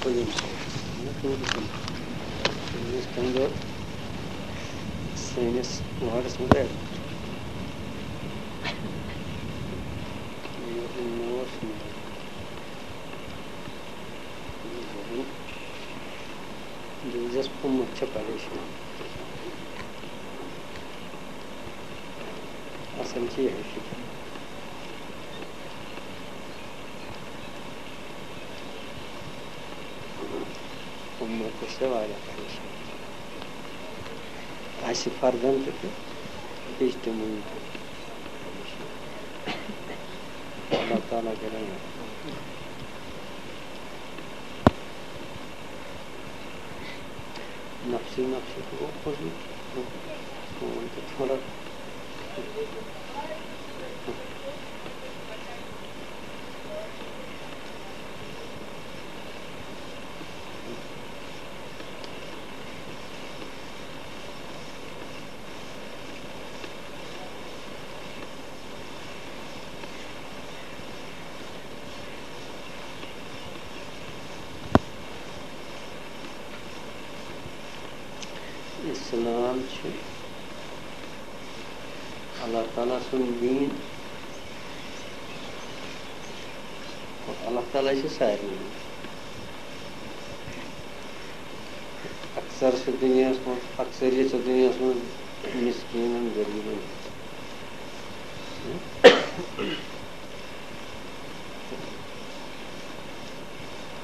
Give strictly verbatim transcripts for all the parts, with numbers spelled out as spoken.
ییٚمہِ سۭتۍ نہٕ ٹوٗرِزٕم، یُس تَمہِ دۄہ سٲنِس وارڈَس منٛز آیہِ۔ یہِ اوس نہٕ، یہِ اوس نہٕ۔ دِلچسپ، اُمت چھےٚ پریشان۔ اصل چھِ یِہوٚے فِکر۔ اُمت چھےٚ واریاہ پریشان۔ اَسہِ فردن تہِ تہٕ بیٚیہِ چھِ تِمن تہِ۔ اللہ تعالیٰ کرے۔ نفسی نفسی تو وہ خود ہی تو تھوڑا۔ اسلام چھُ اللہ تعالیٰ سُنٛد دیٖن۔ اللہ تعالیٰ چھُ سارنٕے دیٖن۔ اکثر چھُ دُنیاہَس منٛز، اکثریت چھِ دُنیاہَس منٛز مِسکیٖنَن، غریٖبَن۔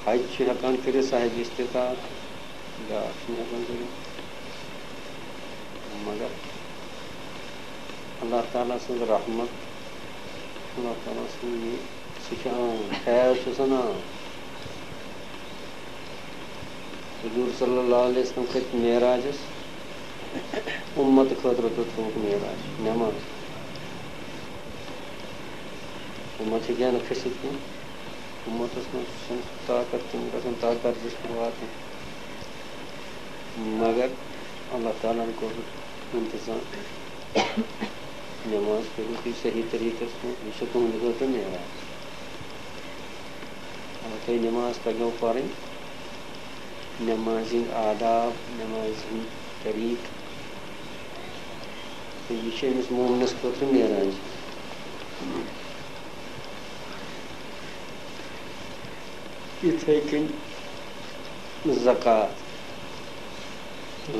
حج چھُ ہٮ۪کان کٔرِتھ صاحب استطاعت، بیٛاکھ چھُنہٕ ہٮ۪کان کٔرِتھ۔ مگر اللہ تعالیٰ سٕنٛز رحمت، اللہ تعالیٰ سٕنٛز یہِ، سُہ چھُ عام، فیض چھُ آسان عام۔ حضور صلی اللہ علیہ وسلم کھٔتۍ معراجس، اُمت خٲطرٕ تہٕ تھوٚوُکھ معراج نٮ۪ماز۔ اُمت ہیٚکہِ ہا نہٕ کھٔسِتھ کینٛہہ۔ اُمتس منٛز چھُنہٕ سُہ طاقت، تِم گژھن تتھ درجس پٮ۪ٹھ واتٕنۍ۔ مگر اللہ تعالیٰ ہن کوٚر انتظام۔ نٮ۪ماز پٔرِو تُہۍ صحیح طریٖقس منٛز، یہِ چھُ تُہنٛدِ خٲطرٕ معراج۔ اگر تۄہہِ نٮ۪ماز تَگیو پَرٕنۍ، نٮ۪مازِ ہِنٛدۍ آداب، نٮ۪مازِ ہِنٛدۍ طریٖقہٕ، تہٕ یہِ چھُ أمِس مومنَس خٲطرٕ معراج۔ یِتھَے کٔنۍ زکوٰۃ،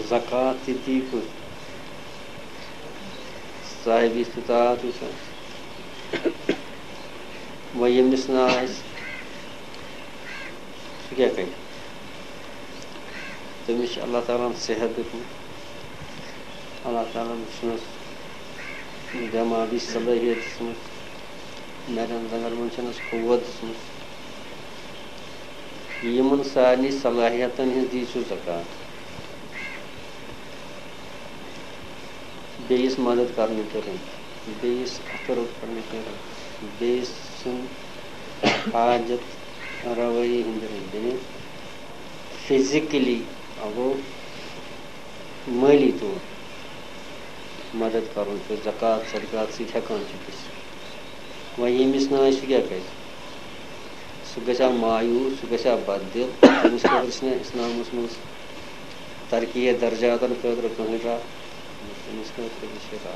زکوٰۃ تہِ دی کُس؟ صاحب استطاعت وٕچھان۔ وۄنۍ ییٚمِس نہٕ آسہِ، سُہ کیٛاہ کَرِ؟ تٔمِس چھُ اللہ تعالیٰ ہَن صحت دیُتمُت، اللہ تعالیٰ ہَن چھُنَس دٮ۪ماغی صلٲحیت دِژمٕژ، نَرٮ۪ن زنٛگَن منٛز چھَنَس قوت دِژمٕژ۔ یِمَن سارنٕے صلٲحیتَن ہِنٛز دی سُہ زکوٰۃ۔ بیٚیِس مدد کرنہٕ کہِ رٔنٛگۍ، بیٚیِس اَتھٕ روٚٹ کرنہٕ کہِ رٔنٛگۍ، بیٚیہِ سُنٛد حاجت روٲیی ہِنٛدِ رٔنٛگۍ، یعنی فزیکلی، اَگو مٲلی طور مدد کرُن، یُس زکوٰۃ صدقات سۭتۍ ہٮ۪کان چھِ گٔژھِتھ۔ وۄنۍ ییٚمِس نہٕ آسہِ، سُہ کیٛاہ کرِ؟ سُہ گژھِ ہا مایوٗس، سُہ گژھِ ہا بددِل۔ تٔمِس خٲطرٕ چھِنہٕ اِسلامَس منٛز ترقی درجاتن خٲطرٕ کٕہٕنۍ راہ، تٔمِس خٲطرٕ تہِ چھِ راہ۔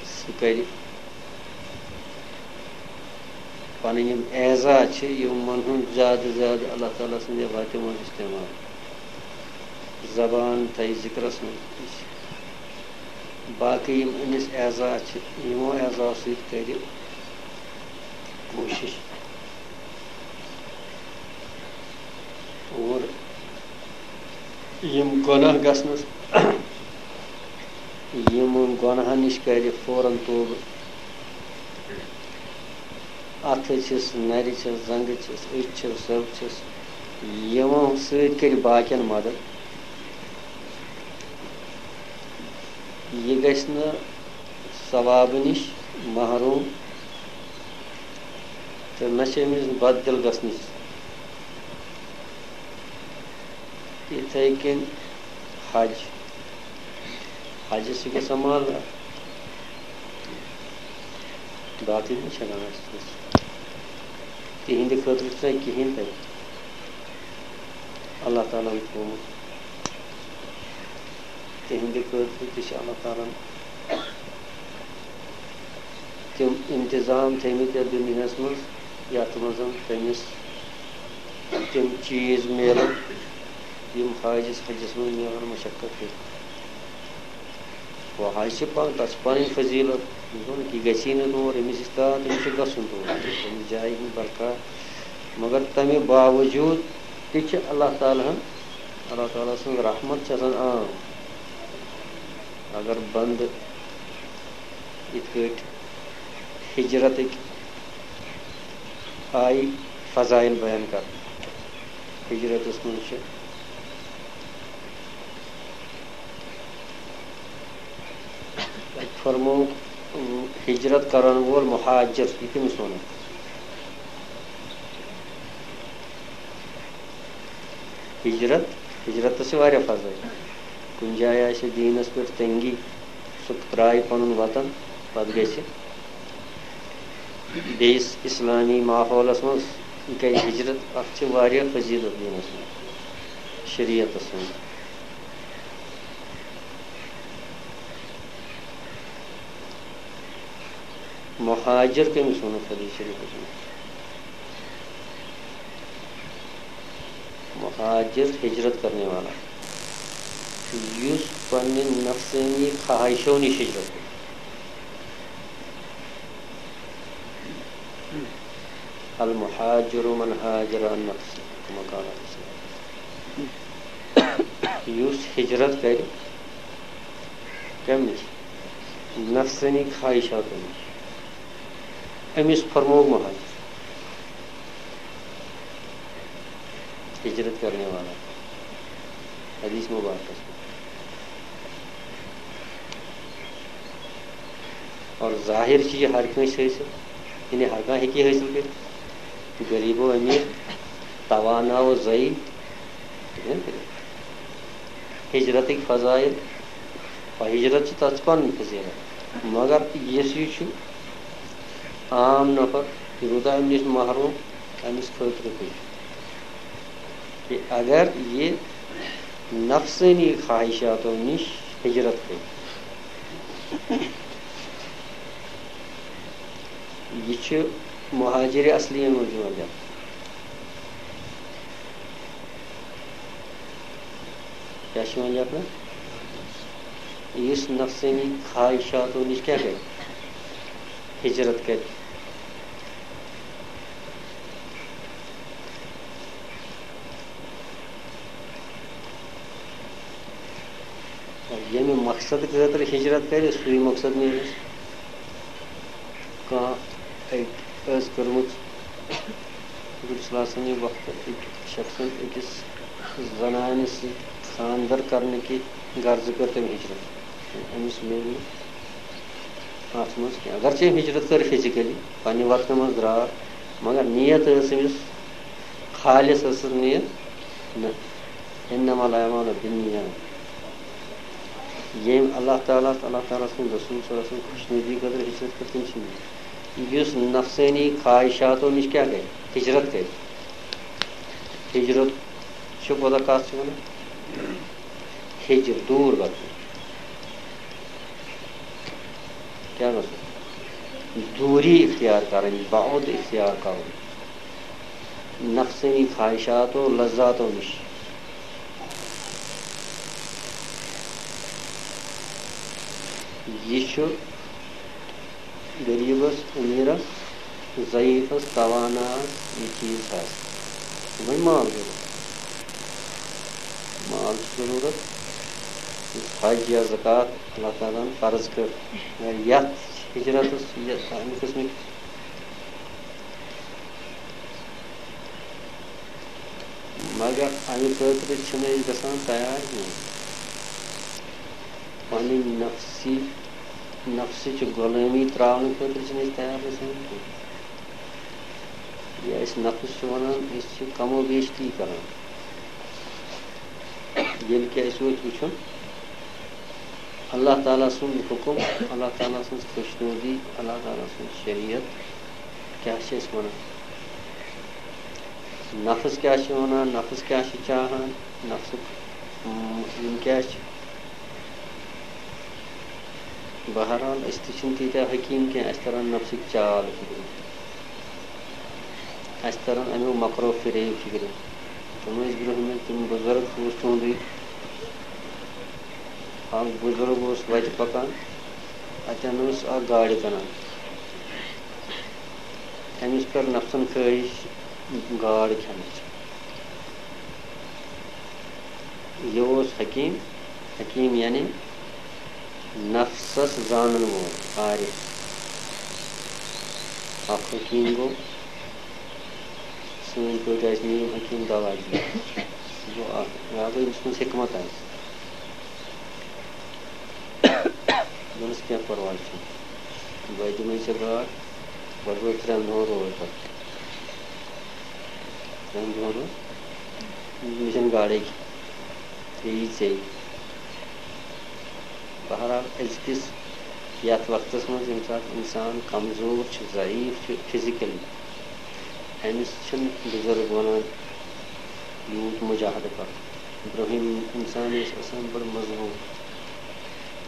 سُہ کرِ پنٕنۍ یِم اعضا چھِ، یِمن ہُنٛد زیادٕ زیادٕ اللہ تعالیٰ سٕنٛدِ وتہِ منٛز استعمال۔ زبان تھایہِ ذِکرس منٛز۔ باقٕے یِم أمِس اعضا چھِ، یِمو اعضاو سۭتۍ کرِ کوٗشِش۔ اور یِم گۄناہ گژھنَس، یِمَن گۄناہَن نِش کَرِ فوراً توبہٕ۔ اَتھٕ چھِس، نَرِ چھِس، زنٛگہٕ چھِس، أچھ چھِس، زَو چھِس، یِمو سۭتۍ کَرِ باقیَن مدد۔ یہِ گژھِ نہٕ ثوابہٕ نِش محروم تہٕ نہ چھِ أمِس بددِل گژھنٕچ۔ یِتھَے کٔنۍ حج، حجَس چھِ گژھان مال، باقٕے ما چھِ ہٮ۪کان حجَس گٔژھِتھ؟ تِہِنٛدِ خٲطرٕ چھُنہٕ کِہیٖنۍ تَتہِ اللہ تعالیٰ ہَن تھوٚومُت۔ تِہِنٛدِ خٲطرٕ تہِ چھِ اللہ تعالیٰ ہَن تِم اِنتِظام تھٲومٕتۍ یَتھ دُنیاہَس منٛز، یَتھ منٛز تٔمِس تِم چیٖز میلَن، یِم حاجِس حَجَس منٛز میلَن مَشقت کٔرِتھ۔ وۄنۍ حَج چھِ پَنُن، تَتھ چھِ پَنٕنۍ فضیٖلت۔ یہِ گوٚو نہٕ کہِ گژھی نہٕ تور، أمِس یُس تام، تٔمِس چھُ گژھُن تور، تٔمِس جایہِ ہُنٛد برقرار۔ مگر تَمہِ باوجوٗد تہِ چھِ اللہ تعالیٰ ہَن، اللہ تعالیٰ سٕنٛز رحمت چھِ آسان عام۔ اگر بنٛدٕ یِتھ کٲٹھۍ ہِجرتٕکۍ آیہِ فضایل بیان کرنہٕ، ہِجرتَس منٛز چھِ فرمووُکھ، ہِجرت کرن وول مُہاجِر، یہِ کٔمِس وَنو؟ ہِجرت، ہِجرتَس چھِ واریاہ فضٲیِل۔ کُنہِ جایہِ آسہِ دیٖنَس پٮ۪ٹھ تنگی، سُہ ترٛایہِ پَنُن وطن، پَتہٕ گژھِ بیٚیِس اِسلٲمی ماحولَس منٛز، یہِ کَرِ ہِجرت۔ اَتھ چھِ واریاہ فضیٖلت دیٖنَس منٛز، شریعتَس منٛز۔ مُہاجِر کٔمِس ووٚنُکھ حدیث شریٖفَس منٛز؟ مُہاجِر، ہِجرت کرنے والا، یُس پننہِ نفسٲنی خواہشو نِش ہِجرت کرِ۔ المہاجر من ہاجر عن نفسه، كما قال عليه الصلاة والسلام۔ یُس ہِجرت کرِ، کَمہِ نِش؟ نفسٲنی خواہشاتو نِش۔ أمِس فرموو مُہاجِر، ہِجرت کرنے والا، حدیث مبارکس منٛز۔ اور ظاہر چھِ یہِ ہر کٲنٛسہِ حٲصِل، یعنی ہر کانٛہہ ہیٚکہِ یہِ حٲصِل کٔرِتھ، غریٖب و أمیٖر، توانا و ضعیٖف، ہیٚکہِ نہ کٔرِتھ۔ ہِجرتٕکۍ فضایل، اور ہِجرت چھِ تَتھ پَنٕنۍ فضیلت، مگر یُس یہِ چھُ عام نفر، یہِ روٗدا اَمہِ نِش محروم، أمِس خٲطرٕ تہِ، کہِ اگر یہِ نفسٲنی خواہشاتو نِش ہِجرت کٔرِتھ، یہِ چھُ مُہاجِرِ اصلی یَن منٛز یِوان لیکھنہٕ۔ کیٛاہ چھُ یِوان لیکھنہٕ؟ یُس نفسٲنی خواہشاتو نِش کیٛاہ کرِ؟ ہِجرت کرِ۔ ییٚمہِ مقصد خٲطرٕ ہِجرت کرِ، سُے مقصد میلٮ۪س۔ کانٛہہ أکۍ ٲس کٔرمٕژ، حضور صلی اللہ علیہ وسلم وقتہٕ أکۍ شخصن أکِس زنانہِ سۭتۍ خانٛدر کرنہٕ کہِ غرضہٕ کٔر تٔمۍ ہِجرت۔ أمِس میلہِ نہٕ اَتھ منٛز کینٛہہ۔ اگرچہِ أمۍ ہِجرت کٔر فِزِکٔلی، پننہِ وطنہٕ منٛز درٛاو، مگر نیت ٲس أمِس خالص، ٲسٕس نیت نہ۔ انما الاعمال بالنیات۔ ییٚمۍ اللہ تعالیٰ، اللہ تعالیٰ سٕنٛدِ رسول صلی اللہ علیہ وسلم خۄشنودی خٲطرٕ ہِجرت کٔر، تٔمۍ سٕنٛدِ۔ یُس نفسٲنی خواہشاتو نِش کیٛاہ کرِ؟ ہِجرت کرِ۔ ہِجرت چھُ کوٗتاہ کَتھ چھِ وَنان؟ ہِجر، دوٗر گژھُن۔ کیٛاہ گژھُن؟ دوٗری اختیار کَرٕنۍ، بعد اختیار کَرُن۔ نفسٲنی خواہشاتو لذاتو نِش۔ یہِ چھُ غریٖبَس، أمیٖرَس، ضعیٖفَس، تواناہَس یہِ چیٖز حظ۔ وۄنۍ مال ضروٗرت۔ مال چھُ ضروٗرت۔ یُس حج یا زکوٰۃ اللہ تعالیٰ ہَن فرض کٔر، یا یَتھ ہِجرَتَس، یَتھ اَمہِ قٕسمٕکۍ مگر اَمہِ خٲطرٕ چھِنہٕ أسۍ گژھان تیار کینٛہہ۔ پنٕنۍ نفسی، نفسٕچ غلٲمی ترٛاونہٕ خٲطرٕ چھِنہٕ أسۍ تیار گژھان کینٛہہ۔ یا أسۍ نفس چھِ وَنان، أسۍ چھِ کم و بیش تی کران۔ ییٚلہِ کہِ اَسہِ وۄنۍ وٕچھُن، اللہ تعالیٰ سُنٛد حُکُم، اللہ تعالیٰ سٕنٛز خۄشنودی، اللہ تعالیٰ سٕنٛز شریعت کیٛاہ چھِ اَسہِ وَنان؟ نفس کیٛاہ چھِ وَنان، نفس کیٛاہ چھِ چاہان، نفسُک، اۭں، یِم کیٛاہ چھِ؟ بہرحال، أسۍ تہِ چھِنہٕ تیٖتیٛاہ حکیٖم کینٛہہ، اَسہِ تَرَن نفسٕکۍ چال فِکرِ، اَسہِ تَرَن اَمیُک مکرو فریب فِکرِ۔ تِم ٲسۍ برٛونٛہمہِ، تِم بُزرگ، اوس تُہُنٛدُے، اَکھ بُزرگ اوس وَتہِ پَکان، اَتٮ۪ن اوس اَکھ گاڈِ کٕنان۔ أمِس کٔر نفسن خٲہِش گاڈ کھٮ۪نٕچ۔ یہِ اوس حکیٖم، حکیٖم یعنی نفسس زانن وول، عارف۔ اکھ حکیٖم گوٚو، سٲنۍ پٲٹھۍ آسہِ نیم حکیٖم دوا دِوان۔ سُہ گوٚو اکھ، یا گوٚو ییٚمِس منٛز حکمت آسہِ۔ دوٚپمَس، "کینٛہہ پرواے چھُنہٕ، بہٕ دِمَے ژےٚ گاڈ، گۄڈٕ روز ترٛٮ۪ن دۄہَن روز پَتہٕ۔ ترٛٮ۪ن دۄہَن روز، مےٚ چھَنہٕ گاڈَے کھٮ۪نۍ، ژےٚ یی ژےٚ یی۔" بہرحال، أزکِس یَتھ وقتَس منٛز ییٚمہِ ساتہٕ اِنسان کمزور چھُ، ضعیٖف چھُ فِزِکٔلی، أمِس چھِنہٕ بُزرگ وَنان یوٗت مُجاہدٕ کَرُن۔ برٛونٛہِم اِنسان ٲسۍ آسان بَڑٕ مضبوٗط۔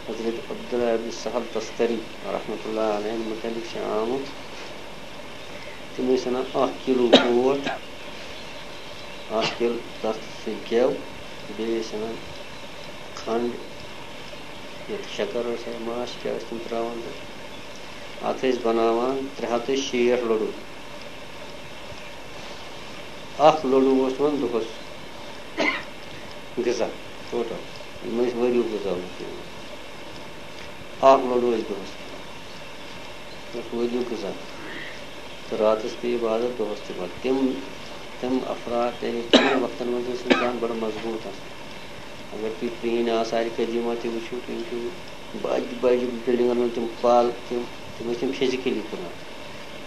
حضرت عبداللہ ابن سہل تستری رحمتہ اللہ علیہ مُتعلِق چھِ آمُت، تِم ٲسۍ اَنان اَکھ کِلوٗ اوٹ، اَکھ کِلوٗ تَتھ سۭتۍ گٮ۪و، بیٚیہِ ٲسۍ اَنان کھنٛڈ، یَتھ شَکَر ٲس یا ماچھ کیٛاہ ٲسۍ تِم ترٛاوان تَتھ۔ اَتھ ٲسۍ بَناوان ترٛےٚ ہَتھ تہٕ شیٹھ لٔڑوٗ۔ اَکھ لٔڑوٗ اوس یِوان دۄہَس غذا ٹوٹل، یِم ٲسۍ ؤریُک غذا اوس یِوان۔ اَکھ لٔڑوٗ ٲسۍ دۄہَس کھٮ۪وان۔ یَتھ ؤریُک غذا۔ تہٕ راتَس تہِ عبادت، دۄہَس تہِ عبادت۔ تِم، تِم افراد، یعنی تِمَن وقتَن منٛز ٲسۍ اِنسان بَڑٕ مضبوٗط آسان۔ اگر تُہۍ پرٛٲنۍ آثارِ قدیٖمہ تہِ وٕچھِو، تُہۍ وٕچھِو بَجہِ بَجہِ بِلڈِنٛگَن منٛز تِم پَل، تِم، تِم ٲسۍ تِم فِزِکٔلی تُلان۔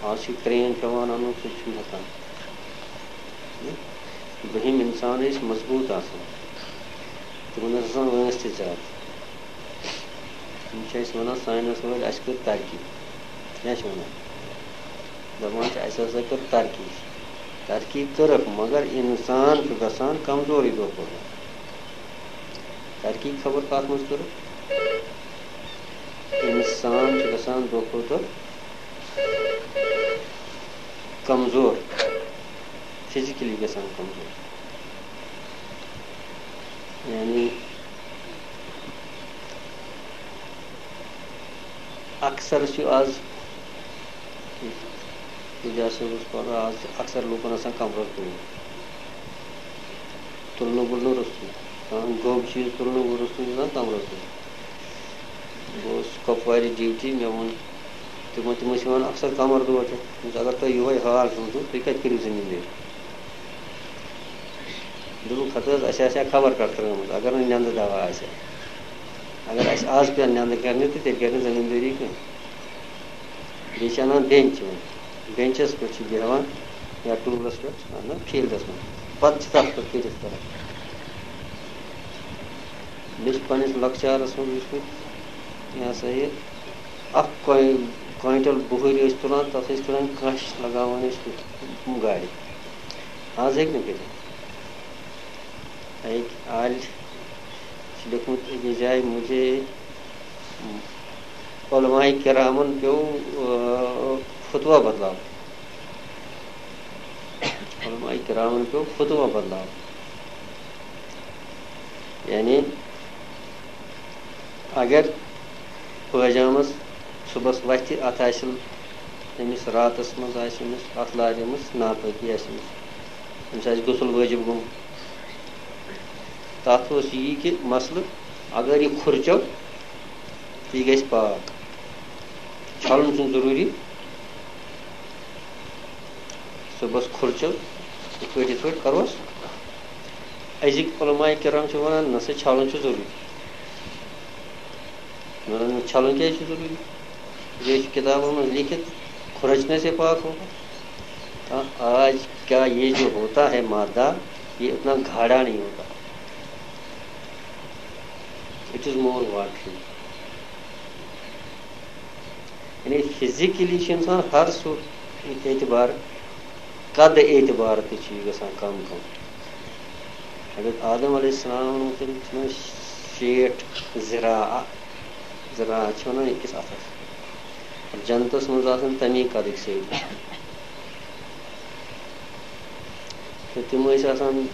آز چھُ کرٛین پٮ۪وان اَنُن، سُہ تہِ چھُنہٕ ہٮ۪کان۔ برٛونٛہِم اِنسان ٲسۍ مضبوٗط آسان، تِمَن ٲس آسان وٲنٛس تہِ زیادٕ۔ یِم چھِ اَسہِ وَنان، ساینَس وٲلۍ، اَسہِ کٔر ترقی۔ کیٛاہ چھِ وَنان؟ دَپان چھِ، اَسہِ ہسا کٔر ترقی۔ ترقی کٔرٕکھ، مگر اِنسان چھُ گژھان کمزورٕے دۄہ کھۄتہٕ دۄہ۔ ترقی خبر کَتھ منٛز کٔرٕکھ؟ اِنسان چھُ گژھان دۄہ کھۄتہٕ دۄہ کمزور، فِزِکٔلی گژھان کمزور۔ یعنی اکثر چھُ آز، ییٚتہِ ہسا اوس پَران، آز چھُ اکثر لوٗکن آسان کمرس دود، تُلنہٕ وُلنہٕ روٚستُے، کانٛہہ گوٚب چیٖز تُلنہٕ روٚستُے چھُ آسان کمرس دود۔ بہٕ اوسُس کۄپوارِ ڈیوٹی، مےٚ ووٚن تِمن، تِم ٲسۍ وَنان، "اکثر کمر دود چھُ۔" دوٚپمَس، "اگر تۄہہِ یِہوٚے حال چھُو، تہٕ تُہۍ کَتہِ کٔرِو زٔمیٖندٲری؟" دوٚپُکھ، "ہَتہٕ حظ، اَسہِ آسہِ ہا خبر کَتھ ترٛٲومٕژ، اگر نہٕ نٮ۪نٛدٕ دوا آسہِ ہا۔ اگر اَسہِ آز پیٚن نٮ۪نٛدٕ کَرنہِ، تہٕ تیٚلہِ کَرِ نہٕ زٔمیٖندٲری کینٛہہ۔" بیٚیہِ چھِ اَنان بٮ۪نٛچ یِوان، بٮ۪نٛچَس پٮ۪ٹھ چھِ بیٚہوان یا ٹوٗلَس پٮ۪ٹھ، اَنان فیٖلڈَس منٛز، پَتہٕ چھِ تَتھ پٮ۪ٹھ کٔرِتھ کَران۔ مےٚ چھِ پنٛنِس لۄکچارَس منٛز وٕچھمُت، یہِ ہسا یہِ اَکھ کویِن-، کویِنٹَل بُہٕرۍ ٲسۍ تُلان، تَتھ ٲسۍ تُلان کَنٛچ لگاوان ٲسۍ گاڑِ۔ آز ہیٚکہِ نہٕ کٔرِتھ۔ أکۍ عالہِ چھُ لیوٚکھمُت أکِس جایہِ، "مجھے علماء کرامن پیوٚو، آ، فتویٰ بدلاوُن۔" علماء کرامن پیوٚو فتویٰ بدلاوُن۔ یعنی اگر پٲجامس صُبحس وَتھِ، اَتھ آسہِ أمِس راتَس منٛز آسہِ أمِس اَتھ لارِ منٛز ناپٲکی آسہِ أمِس، أمِس آسہِ غسل وٲجِب گوٚمُت۔ تَتھ اوس یی کہِ مسلہٕ، اگر یہِ کھُرچو، تہٕ یہِ گژھِ پاک۔ چھَلُن چھُنہٕ ضروٗری۔ صُبحس کھُرچو، یِتھ پٲٹھۍ، یِتھ پٲٹھۍ کَروس۔ أزِکۍ علماء کرام چھِ وَنان، نہ سا، چھَلُن چھُ ضروٗری۔ وَنان، چھَلُن کیٛازِ چھُ ضروٗری؟ یہِ چھُ کِتابَن منٛز لیکھِتھ، کھُرچنے سے پاک ہوگا۔ ہاں، آج کا یہ جو ہوتا ہے مادہ، یہ اتنا گاڑھا نہیں ہوتا۔ It is more watery۔ یعنی فزیکلی چھُ اِنسان ہر سُہ اعتبار قد اعتبار تہِ چھُ یہِ گژھان کم کم۔ حضرت آدم علیہ السلام ووٚنمُت تٔمۍ چھُنہ شیٹھ ذراع، ذراع چھِ وَنان أکِس اَتھَس۔ جنتَس منٛز آسان تَمی قدٕکۍ سۭتۍ۔ تہٕ تِم ٲسۍ آسان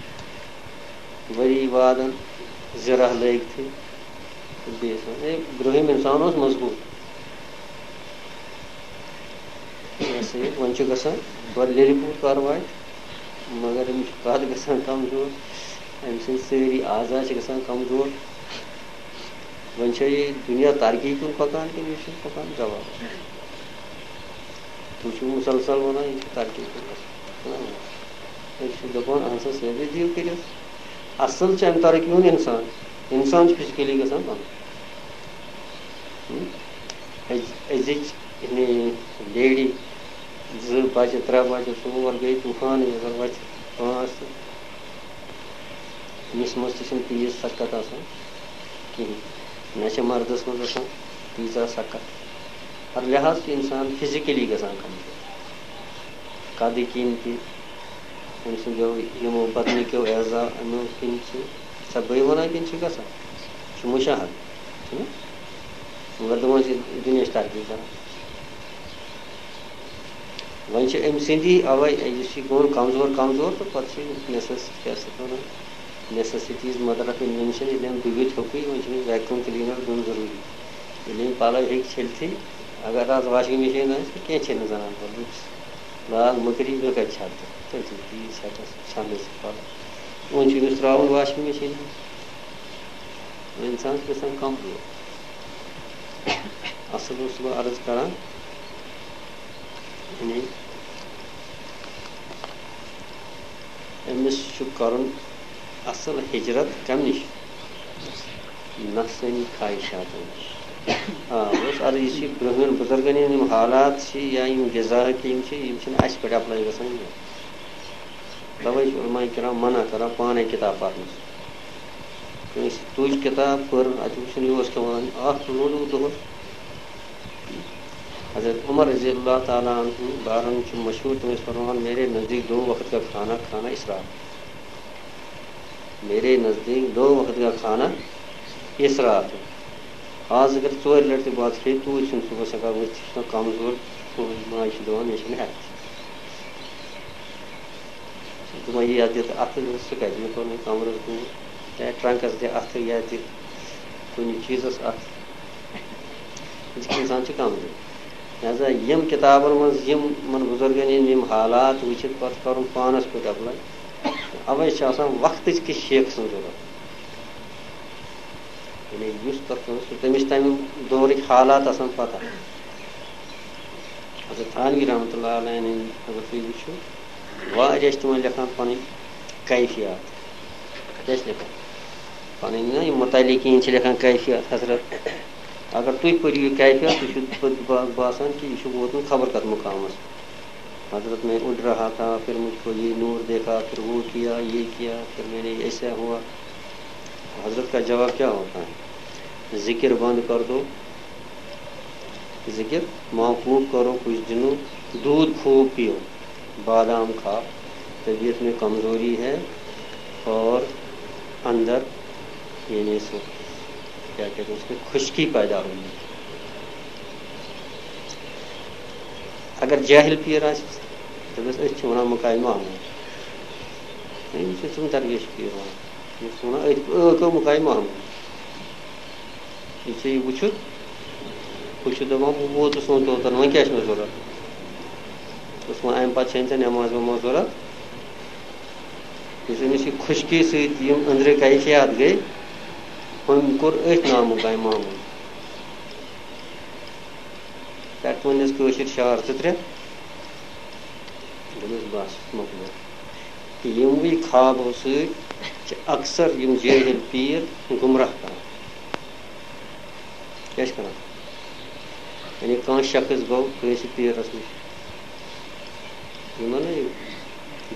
ؤری وادن ذراع لٲگتھٕے۔ تہٕ بیٚیہِ ٲسۍ وَنان، ہے، برٛونٛہِم اِنسان اوس مضبوٗط۔ یہِ ہسا یہِ، وۄنۍ چھُ گژھان، گۄڈٕ لیٚلہِ پوٗت کارٕ واتہِ، مگر أمِس چھُ قد گژھان کمزور، أمۍ سٕنٛدۍ سٲری اعضا چھِ گژھان کمزور۔ وۄنۍ چھا یہِ دُنیا ترقی کُن پکان کِنہٕ یہِ چھُنہٕ پکان؟ جواب۔ تُہۍ چھِو مُسلسل وَنان، یہِ چھُ ترقی کُن گژھان۔ نہ، نہ۔ أسۍ چھِ دَپان، اَہَن سا، سیوٚدُے دِیِو کٔرِتھ۔ اَصٕل چھُ اَمہِ ترقی ہُنٛد اِنسان۔ اِنسان چھُ فِزِکٔلی گژھان بنٛد۔ ہُم؟ أز-، أزِچ یعنی لیڈی، زٕ بَچہٕ، ترٛےٚ بَچہٕ، ژور گٔے طوٗفانٕے، اگر وَتہِ پانٛژھ تہٕ أمِس منٛز تہِ چھِنہٕ تیٖژ سکت آسان کِہیٖنۍ۔ نہ چھِ مردَس منٛز آسان تیٖژاہ سکت۔ ہر لحاظ چھُ اِنسان فِزِکٔلی گژھان کمزور۔ قدٕ کِنۍ تہِ، أمۍ سٕنٛدیو یِمو بدنٕکیو اعضا، یِمو کِنۍ چھِ، چھا بٕے وَنان کِنہٕ چھِ گژھان؟ چھُ مُشاہدٕ، چھُنہ؟ مگر دَپان چھِ دُنیا چھِ ترقی کران۔ وۄنۍ چھِ أمۍ سٕنٛدی اَوَے، یُس یہِ گوٚو کمزور کمزور، تہٕ پَتہٕ چھِ necess-، کیٛاہ چھِ اَتھ وَنان، necessities mother of invention، ییٚلہِ أمۍ ڈُبِتھ ہیوٚکُے، وۄنۍ چھِ أمِس vacuum cleaner دیُن ضروٗری۔ ییٚلہِ أمۍ پَلَو ہیٚکہِ چھٔلتھٕے، اگر آز washing machine آسہِ، تہٕ کینٛہہ چھٔلۍ نہٕ زَنان پَلو۔ لاگ مٔکری، مےٚ کَتہِ چھَلہٕ تہٕ؟ تٔتھی تیٖژ ہٮ۪کَس چھَلنَس پَلو۔ وۄنۍ چھُ أمِس ترٛاوُن washing machine۔ اِنسان چھُ گژھان کمزور۔ اَصٕل اوسُس بہٕ عرض کران، یعنی أمِس چھُ کرُن اَصٕل ہِجرت کَمہِ نِش؟ نفسٲنی خواہشاتن نِش۔ آ، بہٕ اوسُس عرض، یُس یہِ برٛونٛہمٮ۪ن بُزرگن ہٕنٛدۍ یِم حالات چھِ یا یِم غذاہٕکۍ یِم چھِ، یِم چھِنہٕ اَسہِ پٮ۪ٹھ apply گژھان کینٛہہ۔ تَوَے چھِ علماء کرام منع کران پانَے کِتاب پَرنَس۔ کٲنٛسہِ تُج کِتاب، پٔر، اَتہِ وٕچھُن یہِ اوس کھٮ۪وان اَکھ لوٚنٛڈ دۄہَس۔ حضرت عمر رضی اللہ تعالیٰ عنہ بارن چھُ مشہوٗر، تِم ٲسۍ فرماوان، میرے نزدیٖک دو وقت کا کھانا کھانا اسراف۔ میرے نزدیٖک دو وقت کا کھانا اسراف۔ آز اگر ژورِ لَٹہِ تہِ بَتہٕ کھیٚیہِ، توٗرۍ چھُنہٕ صُبحَس ہٮ۪کان ؤتھِتھ، یہِ چھُ آسان کمزور، ماجہِ چھِ دَپان، مےٚ چھِنہٕ ہٮ۪کتھٕے۔ دوٚپمَے، یہِ یَتھ دِتھ اَتھٕ، سُہ کَتہِ؟ مےٚ کوٚر وۄنۍ کَمرَس دوٗر، چاہے ٹرٛنٛکَس دِ اَتھٕ یا دِ کُنہِ چیٖزَس اَتھٕ۔ أزیُک اِنسان چھُ کَمزور۔ لہذا یِم کِتابَن منٛز یِم یِمَن بُزرگَن ہِنٛدۍ یِم حالات وٕچھِتھ پَتہٕ کَرُن پانَس پٮ۪ٹھ apply، اَوَے چھِ آسان وقتٕچ کِس شیخ سٕنٛز ضروٗرت۔ یعنی یُس تَتھ منٛز چھُ، تٔمِس چھِ تَمہِ دورٕکۍ حالات آسان پَتہ۔ حضرت تھانوی رحمتہ اللہ علیہ ہٕنٛدۍ اگر تُہۍ وٕچھِو، واریاہ چھِ تِمَن لیکھان پَنٕنۍ کیفیات۔ کیٛاہ چھِ لیکھان؟ پَنٕنۍ نہ یِم متعلقیٖن چھِ لیکھان کیفیات حضرت۔ اگر تُہۍ پٔرِو یہِ کیفیات، تُہۍ چھُو پَتہٕ با-، باسان کہِ یہِ چھُ ووتمُت خبر کَتھ مُقامَس۔ حضرت میں اُڑ رہا تھا، پھر مجھ کو یہ نور دیکھا، پھر وہ کیا، یہ کیا، پھر میں نے ایسا ہوا۔ حضرت کا جواب کیا ہوتا ہے؟ ذکر بند کر دو، ذکر موقوف کرو کچھ دنوں، دودھ خوب پیو، بادام کھاؤ، طبیعت میں کمزوری ہے اور اندر یعنی سو کیا کہتے ہیں اس میں خشکی پیدا ہوئی ہے۔ اگر جاہل پیر آسہِ، دَپٮ۪س أسۍ چھِ وَنان مُقامِ محمود۔ ہے، یہِ چھُ تِم درویش پیر وَنان۔ یہِ چھُ وَنان أتھۍ، أکۍ مُقامِ محمود۔ یہِ ژےٚ یہِ وٕچھُتھ، ہُہ چھُ دَپان، بہٕ ووتُس وۄنۍ توتَن، وۄنۍ کیٛاہ چھُ مےٚ ضوٚرَتھ؟ دوٚپُس، وۄنۍ اَمہِ پَتہٕ چھَنہٕ ژےٚ نٮ۪ماز وٮ۪ماز ضوٚرَتھ۔ یُس أمِس یہِ خۄشکی سۭتۍ یِم أنٛدرٕ کیفیات گٔے، ہُمۍ کوٚر أتھۍ نامُقامِ محمود۔ پٮ۪ٹھٕ ووٚننَس کٲشِر شعر زٕ ترٛےٚ۔ دوٚپمَس، بَس، مۄکلیو۔ تہٕ یِموٕے خوابو سۭتۍ چھِ اکثر یِم جٲہِل پیٖر گُمراہ کران۔ کیٛاہ چھِ کران؟ یعنی کانٛہہ شخص گوٚو کٲنٛسہِ پیٖرَس نِش، یِمَن نہٕ یہِ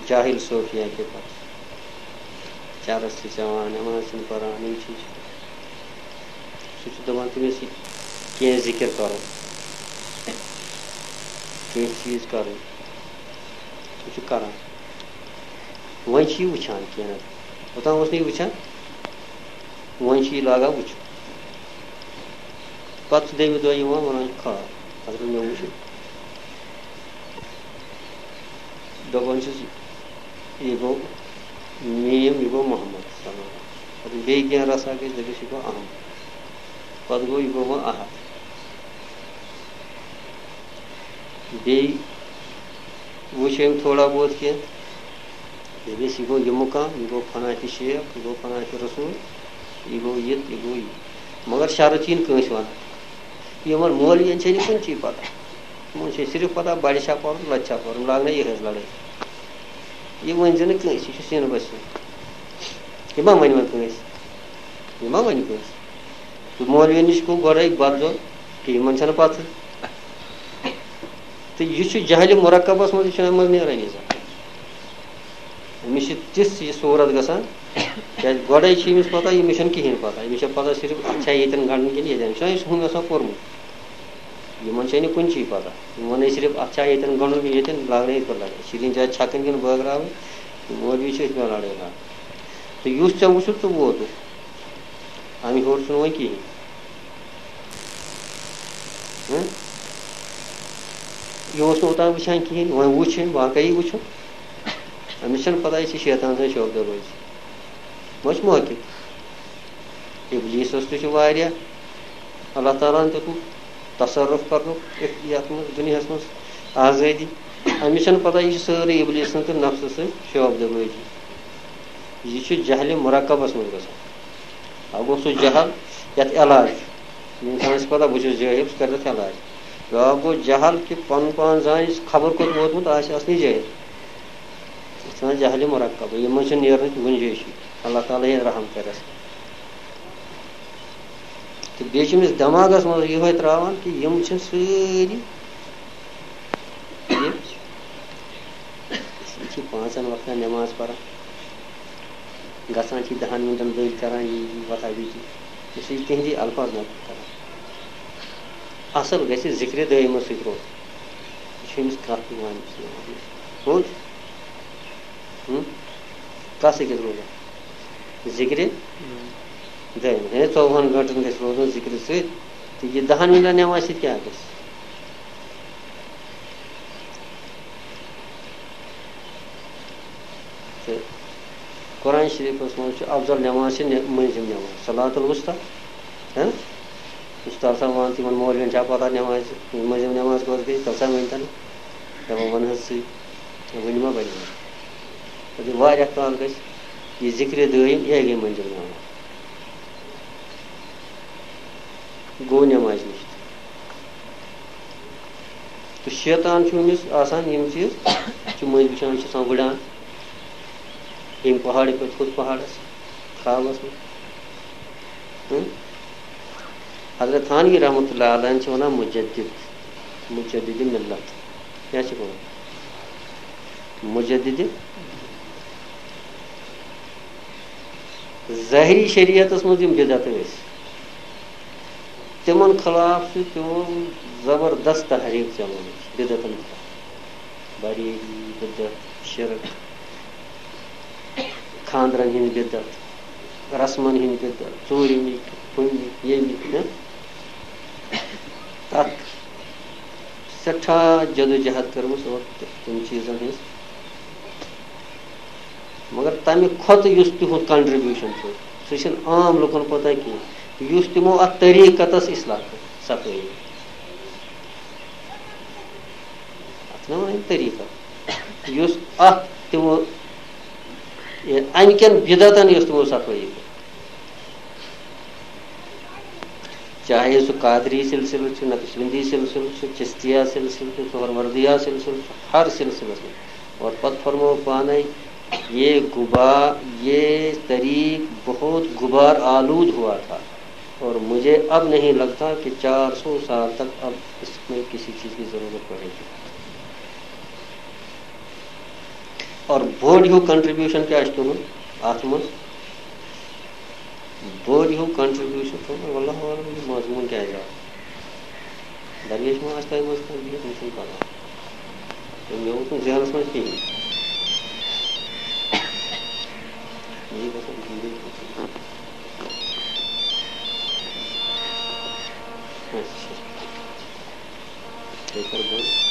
جاہِل صوفیہ کہِ پَتہٕ چرس چھِ چٮ۪وان، نٮ۪ماز چھِنہٕ پَران، یِم چیٖز چھِ۔ سُہ چھُ دَپان تٔمِس یہِ کینٛہہ ذِکِر کَرُن، کینٛہہ چیٖز کَرُن۔ یہِ چھُ کران۔ وۄنۍ چھُ یہِ وٕچھان کینٛہہ نتہٕ۔ اوٚتام اوس نہٕ یہِ وٕچھان، وۄنۍ چھُ یہِ لاگان وٕچھُن۔ پتہٕ چھُ دوٚیمہِ دۄہ یِوان، وَنان چھُ، کھال، حضرت، مےٚ وٕچھ یہِ۔ دَپان چھُس، یہِ گوٚو میٖم، یہِ گوٚو محمد صلی اللہ علیہ وسلم۔ پتہٕ بیٚیہِ کینٛہہ رَژھا گٔے، دَپٮ۪س، یہِ گوٚو احمد۔ پتہٕ گوٚو، یہِ گوٚو وۄنۍ احد۔ بیٚیہِ وٕچھ أمۍ تھوڑا بہت کینٛہہ۔ دَپٮ۪س، یہِ گوٚو یہِ مُقام، یہِ گوٚو فنا تہِ شیخ، یہِ گوٚو فنا تہِ رسول، یہِ گوٚو یہِ، یہِ گوٚو یہِ۔ مگر شرط چھِ یِنہٕ کٲنٛسہِ وَنان۔ یِمن مولوین چھے نہٕ کُنہِ چی پتہ۔ یِمن چھے صرف پتہ بڑِ چھا پرُن، لۄتہِ چھا پرُن، لاگنے یِہٕنٛز لڑٲے۔ یہِ ؤنۍ زِ نہٕ کٲنٛسہِ، یہِ چھُ سیٖنہٕ بسہِ سُنٛد۔ یہِ ما ونہِ وۄنۍ کٲنٛسہِ؟ یہِ ما ونہِ کٲنٛسہِ؟ تہٕ مولوین نِش گوٚو گۄڈے بدظن کہِ یِمن چھنہٕ پتہٕ۔ تہٕ یہِ چھُ جہلِ مرکبس منٛز، یہِ چھُنہٕ اَمہِ منٛز نیرٲنی زانٛہہ۔ أمِس چھِ تِژھ یہِ صوٗرت گژھان، کیٛازِ گۄڈَے چھِ أمِس پَتہ، أمِس چھَنہٕ کِہیٖنۍ پَتہ۔ أمِس چھےٚ پَتہ صرف اَتھ چھا ییٚتٮ۪ن گَنٛڈُن کِنہٕ ییٚتٮ۪ن۔ یہِ چھُنہ أمِس ہُم آسان پوٚرمُت؟ یِمَن چھےٚ نہٕ کُنہِ چی پَتہ۔ یِم وَنَے صرف اَتھ چھا ییٚتٮ۪ن گَنٛڈُن کِنہٕ ییٚتٮ۪ن، لاگنَے یِتھ پٲٹھۍ لَگان۔ شیٖرِنۍ چھا چھَکٕنۍ کِنہٕ بٲگراوٕنۍ؟ تہٕ مولوی چھِ أتھۍ منٛز لَڑٲے لاگان۔ تہٕ یُس ژےٚ وٕچھُتھ، ژٕ ووتُکھ۔ اَمہِ ہیوٚر چھُنہٕ وۄنۍ کِہیٖنۍ۔ ہہ؟ یہِ اوس نہٕ اوٚتام وٕچھان کِہیٖنۍ، وۄنۍ وٕچھ أمۍ، واقعی وٕچھُن۔ أمِس چھَنہٕ پَتہ، یہِ چھِ شیطان سٕنٛز شوبدٕ بٲزی۔ وۄنۍ چھِ موقف۔ اِبلیٖسَس تہِ چھُ واریاہ، اللہ تعالیٰ ہَن دیُتمُت تصرُف کَرنُک یَتھ منٛز، دُنیاہَس منٛز آزٲدی۔ أمِس چھَنہٕ پَتہ، یہِ چھِ سٲرٕے اِبلیٖس سٕنٛز تہٕ نفسہٕ سٕنٛز شوبدٕ بٲزی۔ یہِ چھُ جہلِ مرکبَس منٛز گژھان۔ اَکھ گوٚو سُہ جہل یَتھ علاج چھُ۔ اِنسانَس چھِ پَتہ، بہٕ چھُس جٲہِل، سُہ کَرِ تَتھ علاج۔ بیٛاکھ گوٚو جہل کہِ پَنُن پان زانہِ، خبر کوٚت ووتمُت آسہِ، اَصلی جٲہِل۔ یَتھ چھِ وَنان جہلِ مرکب، یِمَن منٛز چھُنہٕ نیرنٕچ گُنجٲیِشٕے۔ اللہ تعالیٰ یہِ رحم کَرٮ۪س۔ تہٕ بیٚیہِ چھِ أمِس دٮ۪ماغَس منٛز یِہوٚے ترٛاوان کہِ یِم چھِ سٲری، یہِ، یہِ چھِ پانٛژَن وقتَن نٮ۪ماز پَران، گژھان چھِ دَہَن مِنٹَن دٔلۍ کَران، یی، یی، وۄتھان، بیٚیہِ تہِ۔ یہِ چھِ تِہِنٛدی الفاظ نقل کَران۔ اَصٕل گژھِ ذِکرِ دٲیمَس سۭتۍ روزُن۔ یہِ چھُ أمِس کَتھ یِوان۔ پوٚز؟ ہُم؟ کَس أکِس روزان؟ ذِکرِ دٲیِم۔ ہے، ژوٚوُہَن گٲنٛٹَن گژھِ روزُن ذِکرِ سۭتۍ۔ تہٕ یہِ دَہَن مِنٹَن نٮ۪مازِ سۭتۍ کیٛاہ گژھِ؟ تہٕ قرآن شریٖفَس منٛز چھُ افضل نٮ۪ماز چھِ نٮ۪-، مٔنٛزِم نٮ۪ماز، صلاۃ الوسطیٰ۔ ہہ؟ یُس تَلہٕ سا وَن تِمَن مولوِیَن چھا پَتہ نٮ۪مازِ، مٔنٛزِم نٮ۪ماز کۄس گٔے، تَلہٕ سا ؤنۍ تَن۔ دَپان وَن حظ ژٕے، ؤنۍ ما بَنہِ؟ دَپہِ واریاہ کال گژھِ یہِ ذِکرِ دٲیِم، یِہوٚے گٔے مٔنٛزِم نٮ۪ماز۔ گوٚو نٮ۪مازِ نِش۔ تہٕ شیطان چھُ أمِس آسان یِم چیٖز، چھُ مٔنٛزۍ وٕچھان، چھُ آسان وٕڑان ییٚمہِ پہاڑٕ پٮ۪ٹھ ہُتھ پہاڑَس خوابَس منٛز۔ ہٕم؟ حضرت تھانوی رحمتہ اللہ علیہ چھِ وَنان مُجدد، مُجددِ مِلت۔ کیٛاہ چھِ وَنان؟ مُجددِ۔ ظٲہری شریعتَس منٛز یِم بدعت ٲسۍ، تِمَن خلاف چھُ تِمو زبردست تحریک چلٲومٕژ بدعتَن خلاف۔ بریلی، بدعت، شرک، خاندرن ہٕنٛز بدعت، رسمن ہٕنٛز بدعت، ژوٗرِمہِ، ہُمہِ، ییٚمہِ، ہہ؟ تتھ سٮ۪ٹھاہ جدوجہد کٔرمٕژ اور تِم چیٖزن ہٕنٛز۔ مگر تمہِ کھۄتہٕ یُس تِہُنٛد contribution چھُ، سُہ چھُنہٕ عام لُکن پتہ کینٛہہ، یُس تِمو اتھ طریٖقتس اصلاح کٔر، صفٲیی۔ اتھ چھِنہ وَنان طریٖقہ۔ یُس اتھ تِمو، یہِ اَمہِ کٮ۪ن بدعتن یۄس تِمو صفٲیی کٔر۔ چاہے سُہ قادری سلسلہٕ چھُ، نقشبندی سلسلہٕ چھُ، چشتیہ سلسلہٕ چھُ، سہروردیہ سلسلہٕ چھُ، ہر سلسلس منٛز۔ اور پتہٕ فرموو پانے، یہ غبار، یہ طریق بہت غبار آلود ہوا تھا۔ اور مجھے اب نہیں لگتا کہ چار سو سال تک اب اس میں کسی چیز کی ضرورت پڑے گی۔ اور بوٚڑ ہیوٗ contribution کیٛاہ چھُ تُہُنٛد اَتھ منٛز؟ بوٚڑ ہیوٗ contribution تھوٚو مےٚ، واللہ عالم، یہِ مضموٗن کیٛاہ چھُ؟ درویش ما آسہِ تۄہہِ منٛز کانٛہہ بِہِتھ، مےٚ چھُنہٕ پَتہ۔ مےٚ ووت نہٕ ذہنَس منٛز کِہیٖنۍ۔ یہِ گژھن گِنٛدٕنۍ۔ اچھا۔ تیٚلہِ کَر بنٛد۔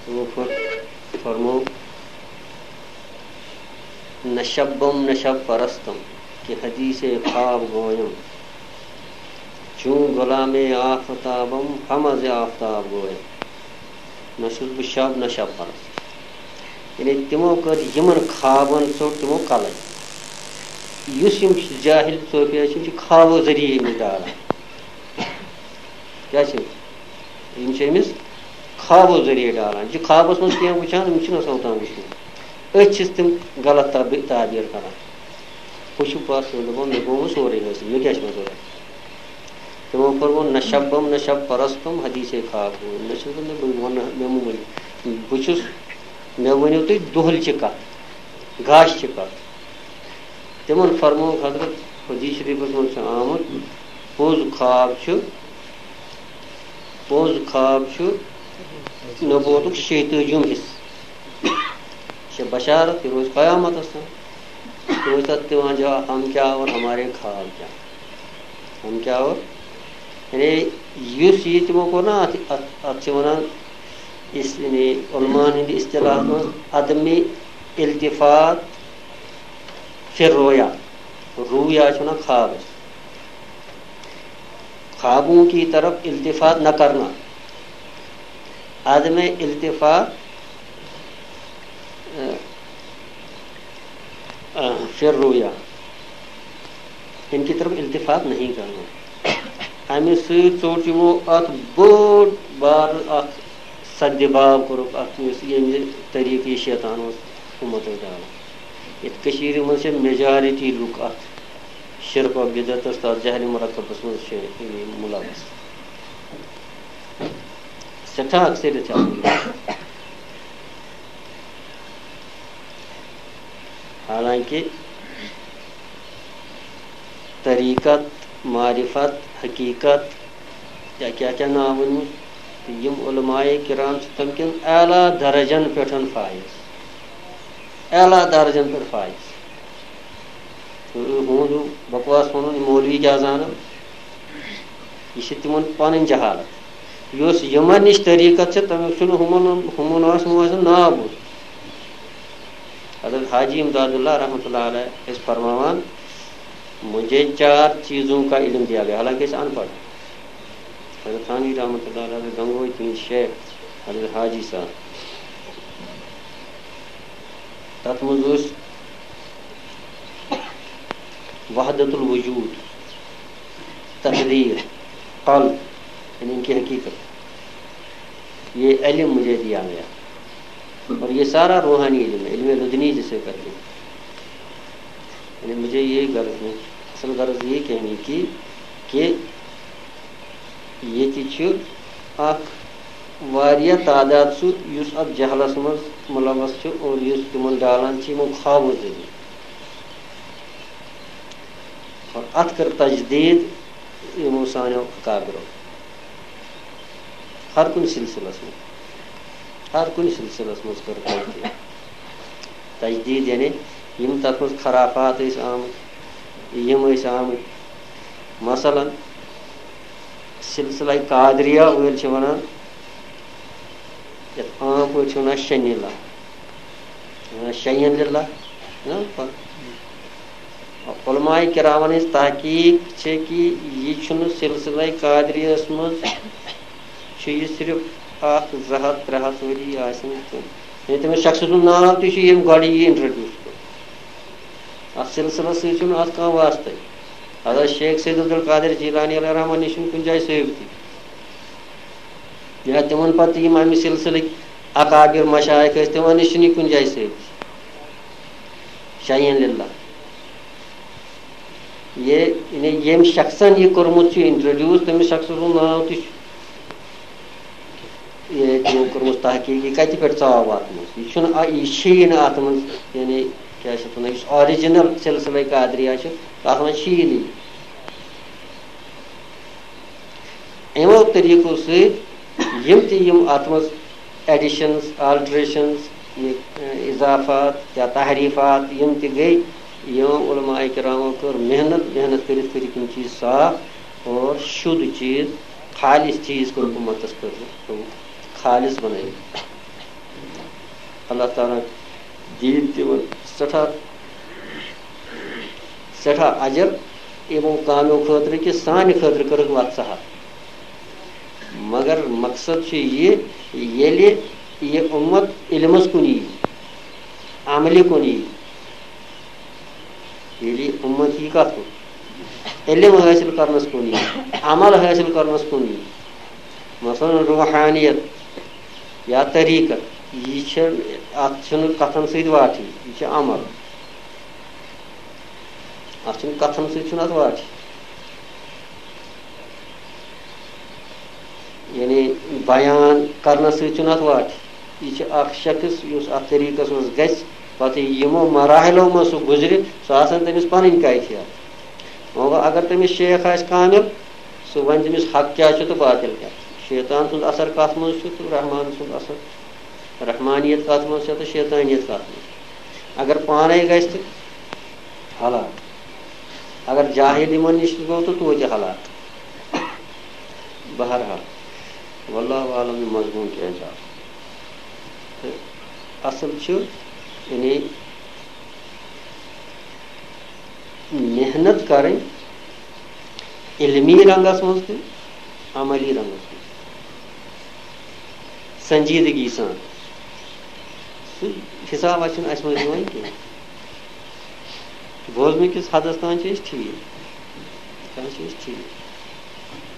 تِمو فر-، فرموو، "نہ شبم نہ شب پرستم کہ حدیث خواب گویم، چون غلام آفتابم ہم از آفتاب گویم۔" نہ چھُس بہٕ شب نہ شب پرست۔ یعنی تِمو کٔر یِمن خوابن ژوٚٹ تِمو قلم۔ یُس یِم جاہل صوفیا چھِ، یِم چھِ خوابو ذٔریعہٕ أمِس ڈالان۔ کیٛاہ چھِ؟ یِم چھِ أمِس خوابو ذٔریعہٕ ڈالان۔ یہِ چھِ خوابس منٛز کینٛہہ وٕچھان، أمِس چھُنہٕ آسان اوٚتام وٕچھمُت۔ أتھۍ چھِس تِم غلط تعبی-، تعبیٖر کران۔ ہُہ چھُ پتھ کُن دَپان، "مےٚ گوٚو وۄنۍ سورُے حٲصِل، مےٚ کیٛاہ چھُ وۄنۍ ضوٚرَتھ؟" تِمو فرموو، "نہ شبم نہ شب پرستم حدیث خواب گویم۔" نہ چھُس بہٕ، مےٚ ووٚن نہٕ، مےٚ مہٕ ؤنِو۔ بہٕ چھُس، مےٚ ؤنِو تُہۍ دۄہلچہِ کتھ، گاشہِ چہِ کتھ۔ تِمن فرمووُکھ حضرت، حدیث شریفس منٛز چھُ آمُت، پوٚز خواب چھُ، پوٚز خواب چھُ نبوتُک شیٚیہِ تٲجِم حصہٕ۔ یہِ چھِ بشارت، یہِ روزِ قیامتس تام۔ تِم ٲسۍ تتھ دِوان جواب، "ہم کیا اور ہمارے خواب کیا؟" ہم کیا اور؟ یعنی یُس یہِ تِمو کوٚر نا، اتھ، اتھ، اتھ چھِ ونان اس، یعنی علماءن ہٕنٛدِ اصطلاحس منٛز عدم التفات فی الرؤیا۔ رؤیا چھِ ونان خوابس۔ خوابوں کی طرف التفات نہ کرنا، عدم التفات، آ، آ، فی الرؤیا، ان کی طرف التفات نہیں کرنا۔ امہِ سۭتۍ ژوٚٹ یِمو اتھ بوٚڑ بار اکھ سدِ باب کوٚرُکھ اتھ، یُس ییٚمہِ طریٖقہٕ یہِ شیطان اوس اُمتس ڈالان۔ یتھ کٔشیٖرِ منٛز چھِ majority لُکھ اتھ شرک و بدعتس تہٕ جہل مرکبس منٛز چھِ یِم ملوث۔ سٮ۪ٹھاہ اکثریت چھِ اتھ منٛز۔ حالانکہ طریقت، معرفت، حقیقت، یا کیٛاہ کیٛاہ ناو ؤنمُت، تہٕ یِم علماء کرام چھِ تِم کٮ۪ن اعلیٰ درجن پٮ۪ٹھ فائز، اعلیٰ درجن پٮ۪ٹھ فائز۔ تہٕ ہُہُنٛد ہیوٗ بکواس وَنُن، یہِ مولوی کیٛاہ زانان، یہِ چھِ تِمن پنٕنۍ جہالت۔ یُس یِمن نِش طریقت چھِ، تَمیُک چھُنہٕ ہُمن، ہُمن آسہِ، ہُمن آسہِ نہٕ ناو بوٗزمُت۔ حضرت حاجی امداد اللہ رحمتہ اللہ علیہ ٲسۍ فرماوان، "مجھے چار چیزوں کا علم دیا گیا"، حالانکہ أسۍ اَن پڑھ۔ حضرت تھانوی رحمتہ اللہ علیہ گنگوہٕکۍ تِہِنٛدۍ شیخ حضرت حاجی صاحب۔ تَتھ منٛز اوس وحدت الوجود، تقدیر، قلب، یعنی ان کی حقیقت۔ یہ علم مجھے دیا گیا اور یہ سارا روحانی علم ہے، علم لدنی جسے کہتے ہیں۔ یعنی مجھے یہ غرض نہیں، اصل غرض یہ کہنے کی کہ ییٚتہِ چھُ اکھ واریاہ تعداد سُہ یُس اتھ جہلس منٛز ملوث چھُ اور یُس تِمن ڈالان چھِ یِمو خوابو ذٔریعہٕ۔ اور اتھ کٔر تجدید یِمو سانیو اکابرو۔ ہر کُنہِ سلسلس منٛز، ہر کُنہِ سلسلس منٛز کٔر تجدید۔ تجدید یعنی یِم تتھ منٛز خرافات ٲسۍ آمٕتۍ، یِم ٲسۍ آمٕتۍ۔ مثلاً سلسلہ قادریہ وٲلۍ چھِ ونان، یتھ عام پٲٹھۍ چھِ ونان شنی اللہ، ونان شیئن للہ، نا؟ علماء کرامن ہٕنٛز تحقیق چھِ کہِ یہِ چھُنہٕ سلسلہ قادریہس منٛز، چھُ یہِ صرف اکھ زٕ ہتھ ترٛےٚ ہتھ ؤری آسن تہٕ، یعنی تٔمِس شخص سُنٛد ناو تہِ چھُ ییٚمۍ گۄڈٕ یہِ introduce کوٚر۔ اتھ سلسلس سۭتۍ چھُنہٕ اتھ کانٛہہ واسطے۔ حضرت شیخ سید عبدالقادر جیلانی علیہ الرحمن نِش چھُنہٕ کُنہِ جایہِ ثٲبتی۔ یا تِمن پتہٕ یِم امہِ سلسلٕکۍ اکابر مشایخ ٲسۍ، تِمن نِش چھُنہٕ یہِ کُنہِ جایہِ ثٲبتی۔ شیئن للہ۔ یہِ، یعنی ییٚمۍ شخصن یہِ کوٚرمُت چھُ introduce، تٔمِس شخص سُنٛد ناو تہِ چھُ یہِ تِمو کٔرمٕژ تحقیٖق، یہِ کَتہِ پٮ۪ٹھ ژاو اَتھ منٛز؟ یہِ چھُنہٕ، یہِ چھُیی نہٕ اَتھ منٛز، یعنی کیٛاہ چھِ اَتھ وَنان، یُس original سلسلہ قادریہ چھُ، تَتھ منٛز چھُیی نہٕ یہِ۔ یِمو طریٖقو سۭتۍ یِم تہِ یِم اَتھ منٛز additions، alterations، یہِ، اضافات یا تحریٖفات یِم تہِ گٔے، یِمو علماء کرامو کٔر محنت، محنت کٔرِتھ کٔرِکھ یِم چیٖز صاف اور شُد چیٖز، خالص چیٖز کوٚرُکھ اُمتَس خٲطرٕ، تھوٚوُکھ خالص بَنٲوِتھ۔ اللہ تعالیٰ دِیِن تِمَن سٮ۪ٹھاہ، سٮ۪ٹھاہ اجر یِمو کامیو خٲطرٕ کہِ سانہِ خٲطرٕ کٔرٕکھ وَتھ سَہَل۔ مگر مقصد چھُ یہِ، ییٚلہِ یہِ اُمت علمَس کُن یی، عملہِ کُن یی، ییٚلہِ یہِ اُمت یی کَتھ کُن؟ علم حٲصِل کَرنَس کُن یی، عمل حٲصِل کَرنَس کُن یی۔ مثلاً روحانیت یا طریٖقت، یہِ چھِ، اَتھ چھُنہٕ کَتھَن سۭتۍ واٹھٕے، یہِ چھُ عمل۔ اَتھ چھُنہٕ کَتھَن سۭتۍ چھُنہٕ اَتھ واٹھٕے۔ یعنی بیان کَرنَس سۭتۍ چھُنہٕ اَتھ واٹھٕے۔ یہِ چھُ اَکھ شخص یُس اَتھ طریٖقَس منٛز گژھِ، پَتہٕ یِمو مراحلو منٛز سُہ گُزرِ، سُہ آسَن تٔمِس پَنٕنۍ کیفیت۔ وۄنۍ گوٚو، اگر تٔمِس شیخ آسہِ کامِل، سُہ وَنہِ تٔمِس حق کیٛاہ چھُ تہٕ باطل کیٛاہ چھُ۔ شیطان سُنٛد اثر کَتھ منٛز چھُ تہٕ رحمان سُنٛد اثر، رحمانیت کَتھ منٛز چھےٚ تہٕ شیطانیت کَتھ منٛز۔ اگر پانَے گژھِ تہٕ ہلاک، اگر جاہل یِمَن نِش گوٚو تہٕ توتہِ ہلاک۔ بہرحال، واللہ عالم یہِ مضموٗن کیٛازِ آو۔ تہٕ اصل چھُ، یعنی، محنت کرٕنۍ علمی رنگس منٛز تہِ، عملی رنگس منٛز، سنجیدگی سان۔ سُہ حسابہ چھُنہٕ اَسہِ منٛز یِوان کینٛہہ۔ بوزنہٕ کِس حدس تام چھِ أسۍ ٹھیٖک، تام چھِ أسۍ ٹھیٖک۔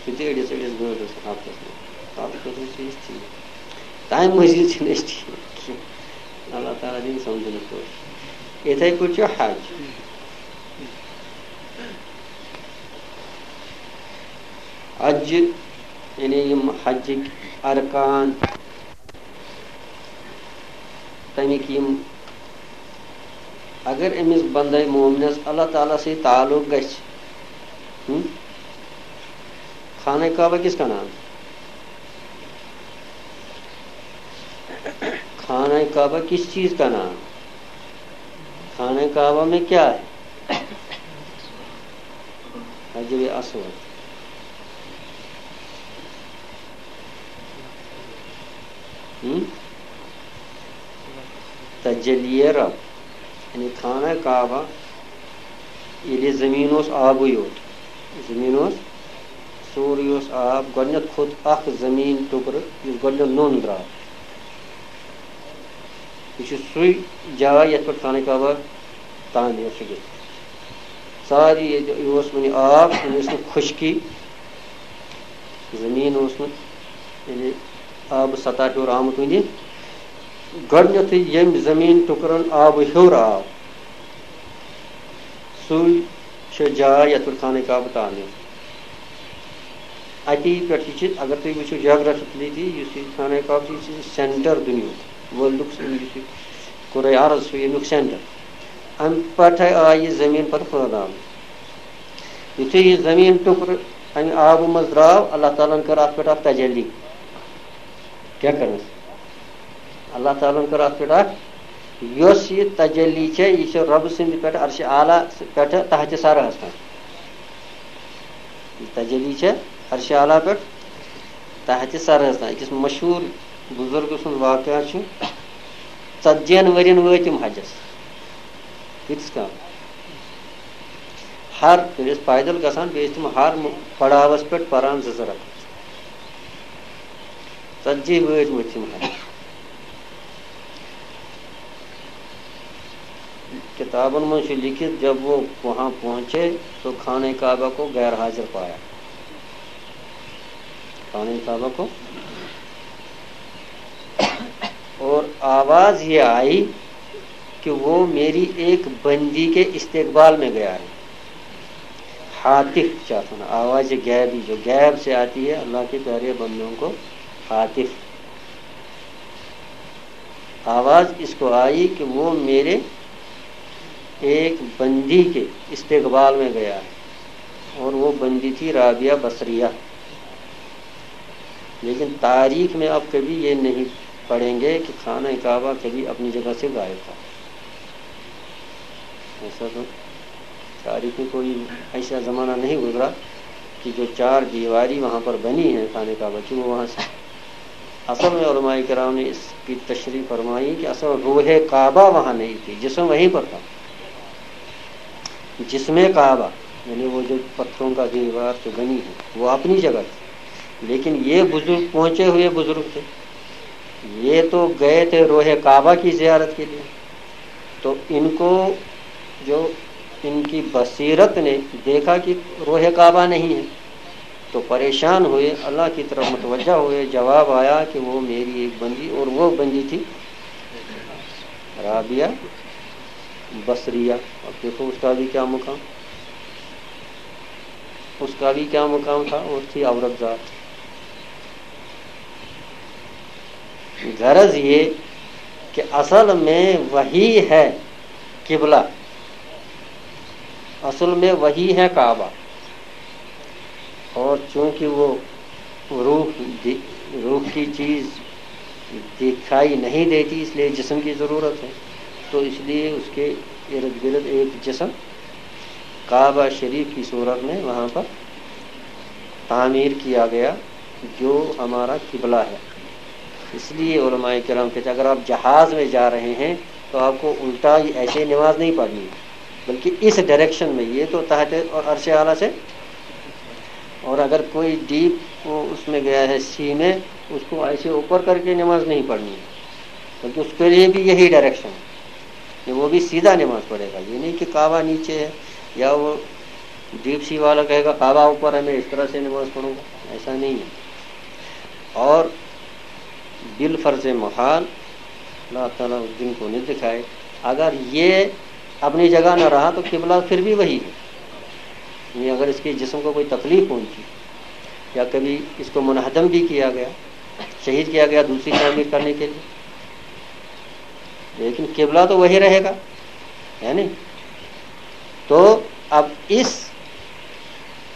سُہ تہِ أڑِس أڑِس گٲنٛٹس ہفتس منٛز، تَتھ خٲطرٕ چھِ أسۍ ٹھیٖک۔ تَمہِ مٔزیٖد چھِنہٕ أسۍ ٹھیٖک کینٛہہ۔ اللہ تعالیٰ دِیِن سمجھنہٕ پٲٹھۍ۔ یِتھَے پٲٹھۍ چھُ حج۔ حج، یعنی یِم حجٕکۍ ارکان، تَمِکۍ یِم، اگر أمِس بندے مومنس اللہ تعالیٰ سۭتۍ تعلق گژھِ، ہم؟ خانہ کعبہ کس کا نام؟ خانہ کعبہ کس چیز کا نام؟ خانہ کعبہ میں کیا ہے؟ حجر اسود۔ ہم؟ تجلی رب، یعنی خانہ کعبہ، ییٚلہِ زٔمیٖن اوس آبٕے یوت، زٔمیٖن اوس، سورُے اوس آب، گۄڈٕنٮ۪تھ کھوٚت اکھ زٔمیٖن ٹُکرٕ، یُس گۄڈٕنٮ۪تھ نوٚن درٛاو۔ یہِ چھُ سُے جاے یَتھ پٮ۪ٹھ خانہ کعبہ تعمیٖر چھُ گژھان۔ سارے ییٚتہِ یہِ اوس وُنہِ آب، وُنہِ ٲس نہٕ خۄشکی، زٔمیٖن اوس نہٕ یعنی آبہٕ سطح ہیوٚر آمُت وُنہِ۔ گۄڈٕنیتھٕے ییٚمہِ زٔمیٖن ٹُکرَن آبہٕ ہیوٚر آو، سُے چھِ جاے یَتھ پٮ۪ٹھ خانہ کعبہ تعمیٖر۔ اَتی پٮ۪ٹھ یہِ چھِ، اگر تُہۍ وٕچھِو جاگرافکلی تہِ، یُس یہِ خانہ کعبہ چھُ، یہِ چھُ سینٹر دُنیاہُک، ورلڈُک یُس یہِ کرہ ارض چھُ، ییٚمیُک سینٹر۔ اَمہِ پٮ۪ٹھَے آیہِ یہِ زٔمیٖن پَتہٕ پھٲلاونہٕ۔ یُتھُے یہِ زٔمیٖن ٹُکرٕ اَمہِ آبہٕ منٛز درٛاو، اللہ تعالیٰ ہَن کٔر اَتھ پٮ۪ٹھ اَکھ تجلی۔ کیٛاہ کٔرٕس؟ اللہ تعالیٰ ہَن کٔر اَتھ پٮ۪ٹھ اَکھ، یۄس یہِ تجلی چھےٚ، یہِ چھِ رۄبہٕ سٕنٛدِ پٮ۪ٹھ عرشِ اعلیٰ پٮ۪ٹھٕ تحتِ ثرہَس تام۔ یہِ تجلی چھےٚ عرشِ اعلیٰ پٮ۪ٹھ تحتِ ثرہَس تام۔ أکِس مشہوٗر بُزرگہٕ سُنٛد واقعہ چھُ، ژتجی ہن ؤرین وٲتۍ تِم حجس۔ کۭتِس کال؟ ہر، ییٚلہِ ٲسۍ پیدل گژھان، بیٚیہِ ٲسۍ تِم ہر م-، پڑاوس پٮ۪ٹھ پران زٕ زٕ رکعت۔ ژتجی وٲتۍ وٲتۍ تِم حج۔ کتابن منٛز چھُ لیکھِتھ، جب وہ وہاں پہنچے تو خانہ کعبہ کو غیر حاضر پایا۔ خانہ کعبہ کو اور آواز یہ آئی کہ وہ میری ایک بندی کے استقبال میں گیا ہے۔ ہاتف چاہتا نا، آواز غیبی جو غیب سے آتی ہے، اللہ کے پیارے بندوں کو ہاتف۔ آواز اس کو آئی کہ وہ میرے ایک بندی کے استقبال میں گیا ہے، اور وہ بندی تھی رابعہ بصریہ۔ لیکن تاریخ میں آپ کبھی یہ نہیں پڑھیں گے کہ خانہ کعبہ کبھی اپنی جگہ سے غائب تھا۔ ایسا تو تاریخ میں کوئی ایسا زمانہ نہیں گزرا کہ جو چار دیواری وہاں پر بنی ہے خانہ کعبہ کی، وہ وہاں سے۔ اصل میں علماء کرام نے اس کی تشریح فرمائی کہ اصل روح کعبہ وہاں نہیں تھی، جسم وہیں پر تھا۔ جسم کعبہ، یعنی وہ جو پتھروں کا دیوار جو بنی ہے، وہ اپنی جگہ تھی، لیکن یہ بزرگ، پہنچے ہوئے بزرگ تھے، یہ تو گئے تھے روح کعبہ کی زیارت کے لیے۔ تو ان کو جو ان کی بصیرت نے دیکھا کہ روح کعبہ نہیں ہے، تو پریشان ہوئے، اللہ کی طرف متوجہ ہوئے۔ جواب آیا کہ وہ میری ایک بندی، اور وہ بندی تھی رابعہ بصریہ۔ اب دیکھو اس کا بھی کیا مقام، اس کا بھی کیا مقام تھا، وہ تھی عورت ذات۔ غرض یہ کہ اصل میں وہی ہے قبلہ، اصل میں وہی ہے کعبہ۔ اور چونکہ وہ روح دی-، روح کی چیز دکھائی نہیں دیتی، اس لیے جسم کی ضرورت ہے، تو اس لیے اس کے ارد گرد ایک جسم کعبہ شریف کی صورت میں وہاں پر تعمیر کیا گیا، جو ہمارا قبلہ ہے۔ اس لیے علماء کرام کہتے ہیں، اگر آپ جہاز میں جا رہے ہیں تو آپ کو الٹا ہی ایسے نماز نہیں پڑھنی، بلکہ اس ڈائریکشن میں، یہ تو تحت اور عرش اعلیٰ سے، اور اگر کوئی ڈیپ وہ اس میں گیا ہے، سی میں، اس کو ایسے اوپر کر کے نماز نہیں پڑھنی ہے، بلکہ اس کے لیے بھی یہی ڈائریکشن ہے کہ وہ بھی سیدھا نماز پڑھے گا۔ یہ نہیں کہ کعبہ نیچے ہے یا وہ ڈیپ سی والا کہے گا کعبہ اوپر ہے، میں اس طرح سے نماز پڑھوں گا، ایسا نہیں ہے۔ اور بالفرض محال، اللہ تعالیٰ اس دن کو نہیں دکھائے، اگر یہ اپنی جگہ نہ رہا تو قبلہ پھر بھی وہی ہے۔ یعنی اگر اس کے جسم کو کوئی تکلیف پہنچی یا کبھی اس کو منہدم بھی کیا گیا، شہید کیا گیا دوسری تعمیر کرنے کے لیے، لیکن قبلہ تو وہی رہے گا، ہے نہیں؟ تو اب اس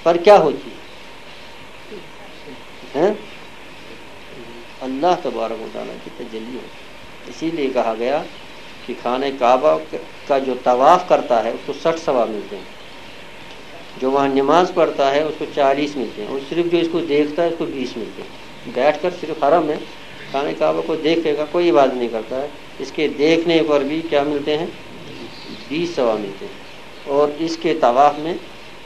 پر کیا ہوتی ہے؟ اللہ تبارک و تعالیٰ کی تجلی ہوتی ہے۔ اسی لیے کہا گیا کہ خانہ کعبہ کا جو طواف کرتا ہے، اس کو سٹھ ثواب ملتے ہیں، جو وہاں نماز پڑھتا ہے، اس کو چالیس ملتے ہیں، اور صرف جو اس کو دیکھتا ہے، اس کو بیس ملتے ہیں۔ بیٹھ کر صرف حرم میں خانہ کعبہ کو دیکھے گا، کوئی عبادت نہیں کرتا ہے، اس کے دیکھنے پر بھی کیا ملتے ہیں؟ بیس ثواب ملتے ہیں۔ اور اس کے طواف میں،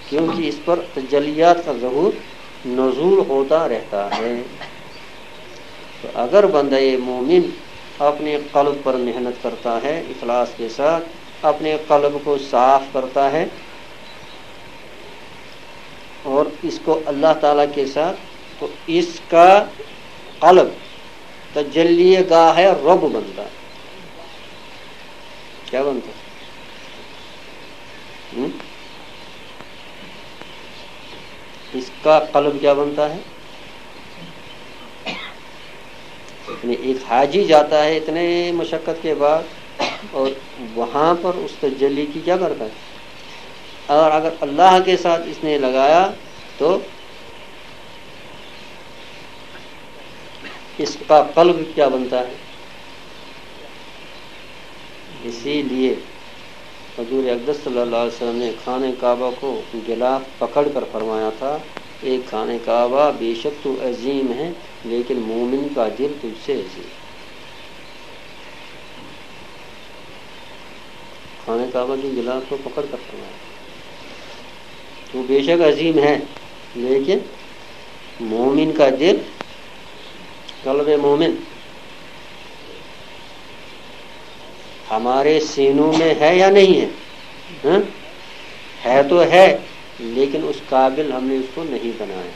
کیونکہ اس پر تجلیات کا ظہور نزول ہوتا رہتا ہے، تو اگر بندہ مومن اپنے قلب پر محنت کرتا ہے، اخلاص کے ساتھ اپنے قلب کو صاف کرتا ہے اور اس کو اللہ تعالیٰ کے ساتھ، تو اس کا قلب تجلی گاہ رب بنتا ہے۔ کیا بنتا ہے؟ ہم؟ اس کا قلب کیا بنتا ہے؟ یعنی ایک حاجی جاتا ہے اتنے مشقت کے بعد، اور وہاں پر اس تجلی کی کیا کرتا ہے؟ اور اگر اللہ کے ساتھ اس نے لگایا تو اس کا قلب کیا بنتا ہے؟ اسی لیے حضور اقدس صلی اللہ علیہ وسلم نے خانہ کعبہ کو غلاف پکڑ کر فرمایا تھا، "اے خانہ کعبہ، بے شک تو عظیم ہے، لیکن مومن کا دل تجھ سے عظیم۔" خانہ کعبہ کے غلاف کو پکڑ کر فرمایا، "تو بے شک عظیم ہے، لیکن مومن کا دل، قلب مومن ہمارے سینوں میں ہے یا نہیں ہے؟" ہاں؟ ہے تو ہے، لیکن اس قابل ہم نے اس کو نہیں بنایا۔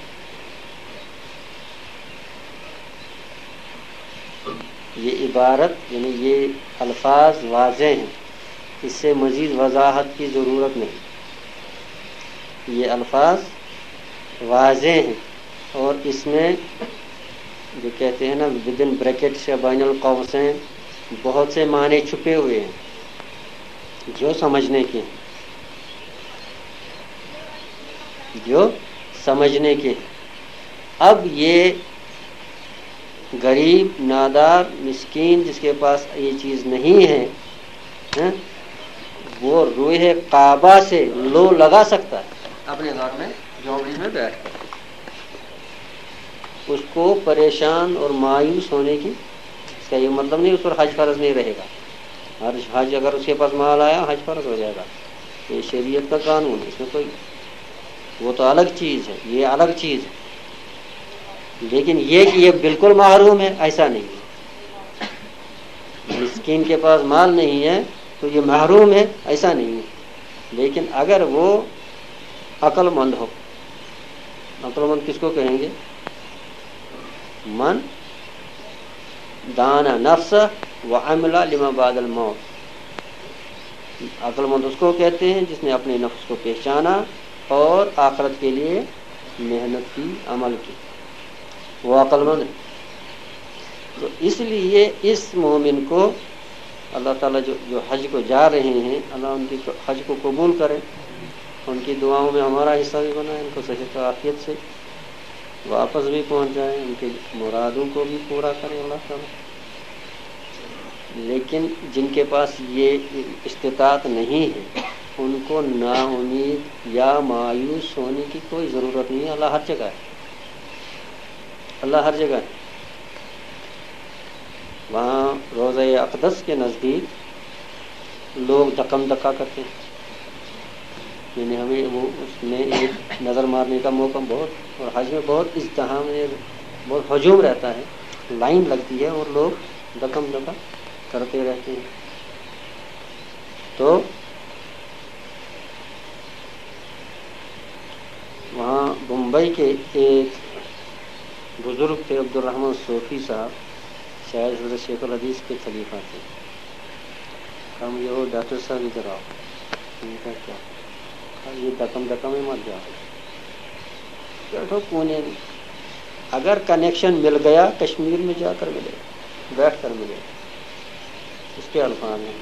یہ عبارت، یعنی یہ الفاظ واضح ہیں، اس سے مزید وضاحت کی ضرورت نہیں۔ یہ الفاظ واضح ہیں اور اس میں جو کہتے ہیں نا، ود ان بریکٹس یا بین القوسین، बहुत से माने छुपे हुए हैं जो समझने के, जो समझने के। अब ये गरीब, नादार, मिस्कीन, जिसके पास ये चीज़ नहीं है, हैं, वो रोए काबा से लो लगा सकता है अपने घर में, झोपड़ी में बैठ कर। उसको परेशान और मायूस होने की, इसका ये मतलब नहीं उस पर हज फर्ज नहीं रहेगा। हज, हज अगर उसके पास माल आया, हज फर्ज हो जाएगा। ये शरीयत का कानून है, इसमें कोई, वो तो अलग चीज़ है, ये अलग चीज़ है। लेकिन ये कि ये बिल्कुल महरूम है, ऐसा नहीं है। मिस्किन के पास माल नहीं है तो ये महरूम है, ऐसा नहीं है। लेकिन अगर वो अक्लमंद हो, अक्लमंद किसको कहेंगे? मन दाना नफ्स व अमला लिमा बादल मौत। अक्लमंद उसको कहते हैं जिसने अपने नफ्स को पहचाना और आखिरत के लिए मेहनत की, अमल की, वो अक्लमंद है। तो इसलिए इस मोमिन को अल्लाह ताला जो, जो हज को जा रहे हैं, अल्लाह उनकी क-, हज को कबूल करें, उनकी दुआओं में हमारा हिस्सा भी बनाए, उनको सही आफियत से वापस भी पहुंच जाए, उनके मुरादों को भी पूरा करें अल्लाह ताला। लेकिन जिनके पास ये इस्तिताअत नहीं है, उनको नाउम्मीद या मायूस होने की कोई ज़रूरत नहीं है। अल्लाह हर जगह है, अल्लाह हर जगह है। वहाँ रोज़ा अकदस के नज़दीक लोग धक्कम धक्का करते हैं, यानी हमें वो उसमें एक नज़र मारने का मौका बहुत, और हज में बहुत इज्तिहाम, बहुत हजूम रहता है, लाइन लगती है और लोग धक्कम धक्का करते रहते हैं। तो वहाँ बम्बई के एक बुज़ुर्ग थे, अब्दुल रहमान सूफी साहब, शायद हज़रत शेखुल हदीस के खलीफा थे। कहा, "मुझे वो डॉक्टर साहब इधर आओ।" उनका क्या? कहा, "ये धक्कम धक्कम में मत जाओ, बैठो कोने में।" अगर कनेक्शन मिल गया, कश्मीर में जाकर मिले, बैठ कर मिले, इसके अल्फाज हैं।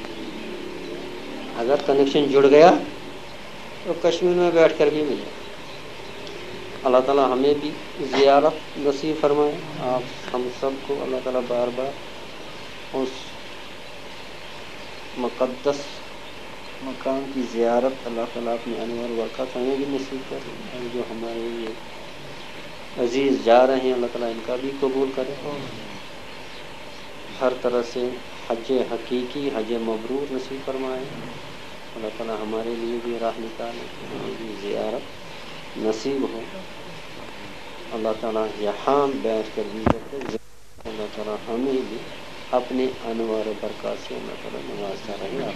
अगर कनेक्शन जुड़ गया तो कश्मीर में बैठ कर भी मिले। अल्लाह ताला हमें भी ज़ियारत नसीब फरमाए। आप हम सबको अल्लाह ताला बार बार उस मुकद्दस मकाम की ज़ियारत, अल्लाह ताला अपने अनवार बरकत हमें भी नसीब करे, और जो हमारे ये अजीज़ जा रहे हैं, अल्लाह ताला इनका भी कबूल करे। हर तरह से हज हकीकी, हज मबरूर नसीब फरमाए। अल्लाह ताला हमारे लिए भी राह निकाले, हमें भी ज़ियारत नसीब हो। अल्लाह ताला यहाँ बैठ कर भी करते, अल्लाह ताला हमें भी अपने अनवार बरकत से अल्लाह ताला नवाजता रहे। आप